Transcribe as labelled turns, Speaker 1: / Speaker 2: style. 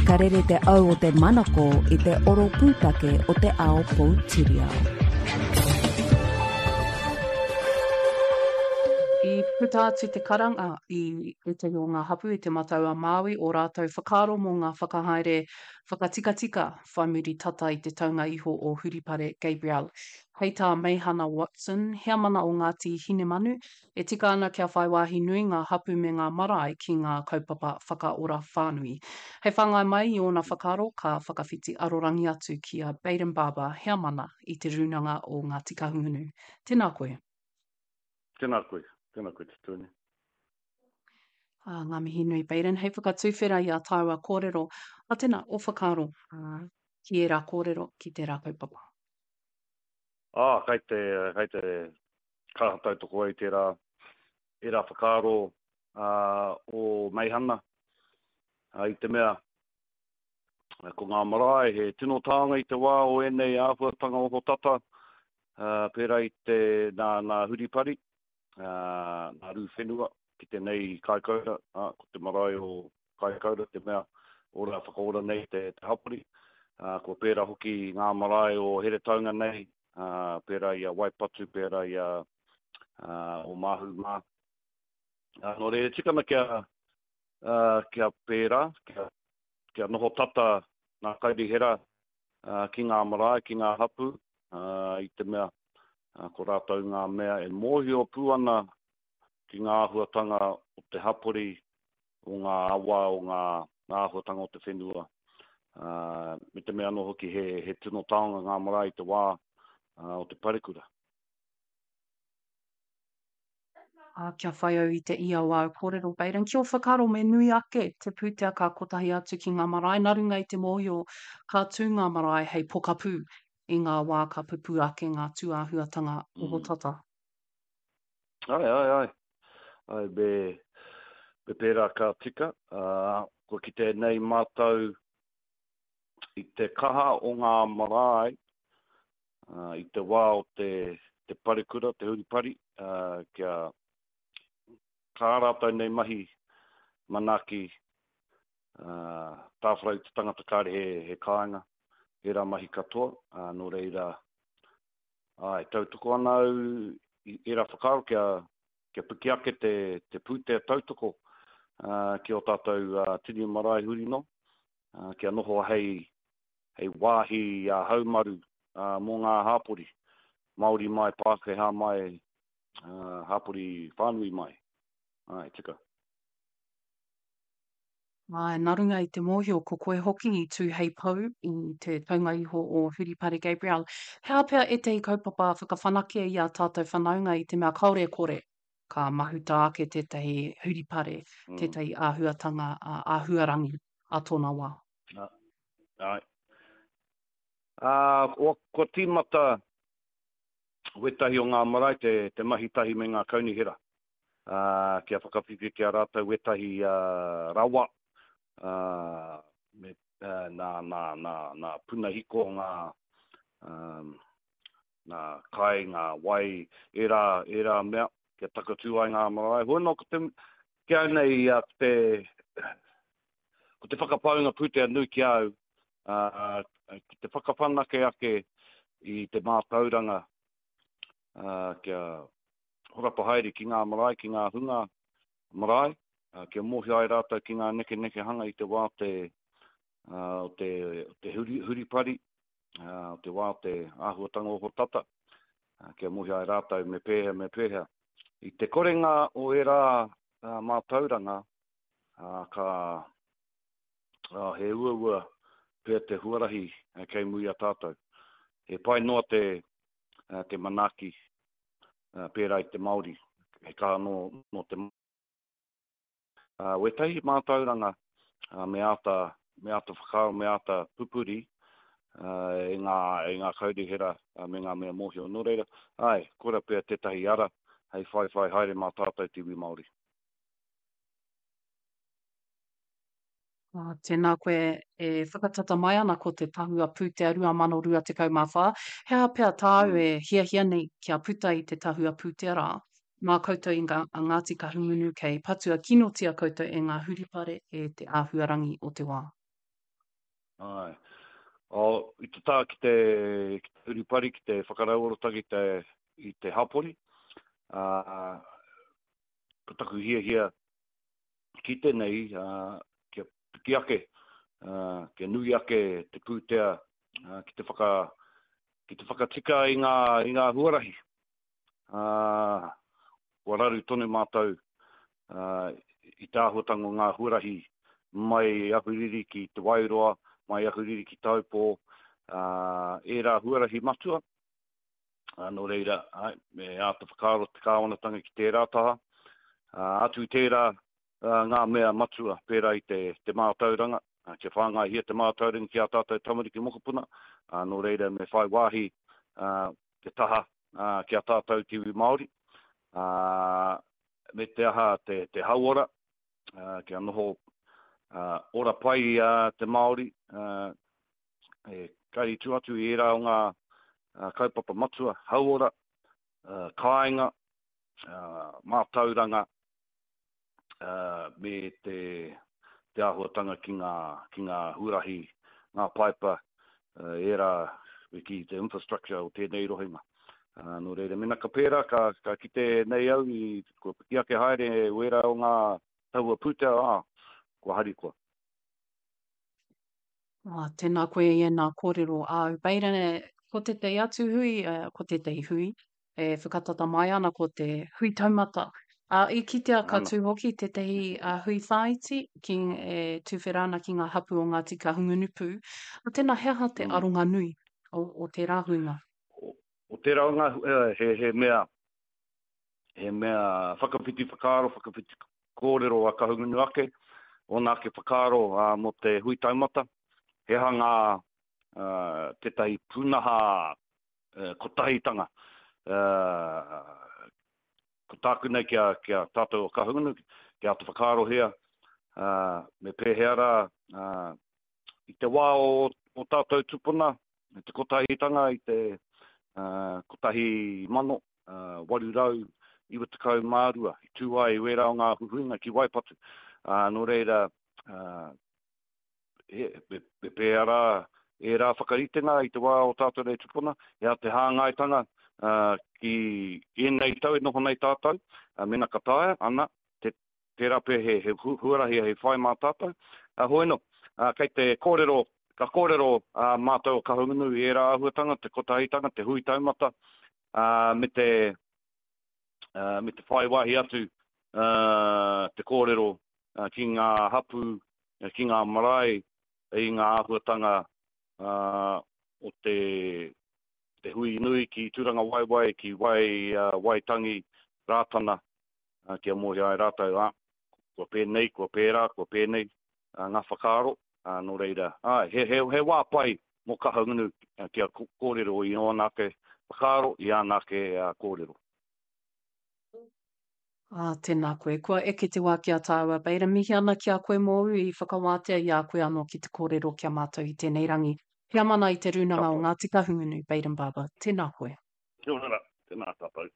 Speaker 1: Ka rere te au o te manako i te oro pūtake o te ao poutiriao.
Speaker 2: I puta atu te karanga i ētahi o ngā hapū i Te Matau-a-Māui ō rātou whakaaro mō ngā whakahaere whakatikatika whai muri tata i te taunga iho o Huripare Gabrielle. Hei tā Meihana Watson, heamana o Ngāti Hinemanu, E tika ana kia whai wāhi nui ngā hapū me ngā marae ki ngā kaupapa whakaora whānui. Hei whāngai mai i ōna whakaaro, ka whakawhiti arorangi atu ki a Bayden Barber, heamana i Te Rūnanga o Ngāti Kahungunu. Tēnā koe.
Speaker 3: Tēnā koe. Tēnā koe Te Tūne.
Speaker 2: Ā, ngā mihi nui Bayden. Hei whakatuwhera i ā tāua kōrero, ā, tēnā, ō whakaaro, ā, ki ērā kōrero, ki tērā kaupapa.
Speaker 3: Ā, kei te, kei te kaha tautoko ai tērā, ērā whakaaro o Meihana, i te mea, ko ngā marae he tino taonga i te wā o ēnei āhuatanga ohotata, pērā i te nā, nā Huripari, nā Rūwhenua, ki te nei Kaikoura, ko te marae o Kaikoura te mea ora whakaora nei te, te hapori. Kua pērā hoki ngā marae o Heretaunga nei, ā, pērā i a Waipatu, pērā i a Ōmāhu mā. Ā, nō reira, e tika ana kia, ā, kia pērā, kia, kia noho tata ngā kaunihera, ā, ki ngā marae, ki ngā hapū, ā, i te mea, ā, ko rātou ngā mea e mōhio pū ana ki ngā āhuatanga o te hapori, o ngā awa, o ngā āhuatanga o te whenua, ā, me te mea anō hoki he, he tino taonga ngā marae i te wā o te parekura.
Speaker 2: Ā, kia whai au i te ia o āu kōrero, Bayden, ki ō whakaaro me nui ake te pūtea ka kotahi atu ki ngā marae nā runga i te mōhio ka tū ngā marae hei pokapū i ngā wā ka pupū ake ngā tūāhuatanga ohotata.
Speaker 3: Ae, ae, ae. Ae, me, me pērā ka tika. Ā, kua kite nei mātou i te kaha o ngā marae, ā, i te wā o te, te parekura, te huripari, ā, kia kā rātou nei mahi manaaki, ā, tāwharau te tangata kāre he, he kāinga, ērā mahi katoa, ā, nō reira, Āe, tautoko ana au i ērā whakaaro kia, kia piki ake te, te pūtea tautoko ki ō tātou tini marae huri noa, kia noho hei, hei wāhi haumaru mō ngā hāpori, Māori mai, Pākehā mai, hāpori whānui mai. Āe, tika.
Speaker 2: Āe, nā runga i te mōhio ko koe hoki i tū hei pou i te taunga iho o Huripare Gabrielle. He aha pea ētahi kaupapa whakawhanake i ā tātou whanaunga i te mea kāore e kore ka mahuta ake tētahi huripare, tētahi āhuatanga āhuarangi a tōna wā?
Speaker 3: Āe. Ā, kua tīmata wētahi o ngā marae te mahi tahi me ngā kaunihera. ā, kia whakawhiwhi ki a rātou wētahi rawa, ā, me, nā, nā, nā, nā puna hiko, ngā, ā, ngā kai, ngā wai, ērā, ērā mea, kia takatū ai ngā marae. Hoi nō, ko te, ki au nei, ko te, ko te whakapaunga pūtea nui ki a au, ā, ki te whakawhanake ake i te mātauranga, ā, kia, horapa haere ki ngā marae, ki ngā hunga marae, kia mōhio ai rātou ki ngā nekenekehanga i te wā o te, o te, o te huri, huripari, o te wā o te āhuatanga ohotata, kia mōhio ai rātou me pēhea, me pēhea. I te korenga o ērā mātauranga, ka, he uaua pea te huarahi kei muri i a tātou. He pai noa te, te manaaki pērā i te Māori, he kaha nō, nō te Wētahi mātauranga me āta, me āta whakaaro, me āta pupuri e ngā, e ngā kaunihera me ngā mea mōhio. Nō reira, āe, koira pea tētahi ara hei whaiwhai haere mā tātou te iwi Māori.
Speaker 2: Ā, tēnā koe e whakatata mai ana ko te Tahua Pūtea 2024. He aha pea tāu e hiahia nei kia puta i te Tahua Pūtea rā? Mā koutou i ngā, a Ngāti Kahungunu kei patua kinotia koutou e ngā huripare e te āhuarangi o te wā.
Speaker 3: Āe. Oh, i te taha ki te, ki te urupari, ki te whakarauoratanga i te, i te hapori, ā, ko taku hiahia ki tēnei, ā, kia piki ake, ā, kia nui ake te pūtea, ā, ki te whaka, ki te whakatika i ngā, i ngā huarahi. Ā, kua raru tonu mātou i te āhuatanga o ngā huarahi mai Ahuriri ki Te Wairoa, mai Ahuriri ki Taupō, ā, ērā huarahi matua. Ā, nō reira, āe, me āta whakaaro te kāwanatanga ki tērā taha. Ā, atu i tērā, ngā mea matua pērā i te, te mātauranga, kia whāngaihia te mātauranga ki ā tātou tamariki mokopuna, ā, nō reira me whai wāhi te taha ki a tātou te iwi Māori, ā, me te aha te, te hauora, ā, kia noho ora pai te Māori, ā, e kari tū atu i ērā o ngā kaupapa matua, hauora, kāinga, mātauranga, me te, te āhuatanga ki ngā, ki ngā huarahi, ngā paipa, ērā me kī te infrastructure o tēnei rohenga. Nō reira, mēnā ka pērā, ka, ka kite nei au i, kua piki ake haere wērā o ngā taua pūtea, ā, kua harikoa.
Speaker 2: Ā, tēnā koe i ēnā kōrero āu. Baden, ko tētahi atu hui, ko tētahi hui, e whakatata mai ana ko te hui taumata. Ā, i kitea ka tū hoki tētahi hui whāiti ki, e tuwhera ana ki ngā hapū o Ngāti Kahungunu pū. Ā, tēnā, he aha te aronga nui o, o tērā huinga?
Speaker 3: O, o tērā o ngā, he, he mea, he mea whakawhiti whakaaro, whakawhiti kōrero a Kahungunu ake, ōna ake whakaaro ā, mō te hui taumata. He aha ngā, ā, tētahi pūnaha kotahitanga. Ko tāku nei ki a, ki a tātou o Kahungunu, kia āta whakaarohia, me pēhea rā, i te wā o, o tātou tupuna, te kotahitanga i te 1892, i tū ai wērā o ngā huihuinga ki Waipatu. Nō reira, he, me pēhea rā ērā whakaritenga i te wā o tātou nei tupuna, he aha te hāngaitanga ki ēnei tau e noho nei tātou, mēnā ka taea, ana, te, tērā pea he, he huarahi hei whai mā tātou. Hoi anō, kei te kōrero, ka kōrero mātou o Kahungunu i ērā āhuatanga, te kotahitanga, te hui taumata, me te, me te whai wāhi atu te kōrero ki ngā hapū, ki ngā marae i ngā āhuatanga o te, te hui nui ki Tūrangawaewae, ki Wai, Waitangi, Rātana, kia mōhio ai rātou, ā, kua pēnei, kua pērā, kua pēnei ngā whakaaro, nō reira, āe, he, he, he wā pai mō Kahungunu kia kōrero i ōna ake whakaaro, i āna ake kōrero.
Speaker 2: Ā, tēnā koe. Kua eke te wā ki a tāua, Bader. Mihi ana ki a koe mōu i whakawātea i a koe anō ki te kōrero ki a mātou i tēnei rangi. Heamana i te Rūnanga o Ngāti Kahungunu, Bayden Barber. Tēnā koe.
Speaker 3: Kia ora rā. Tēnā tātou.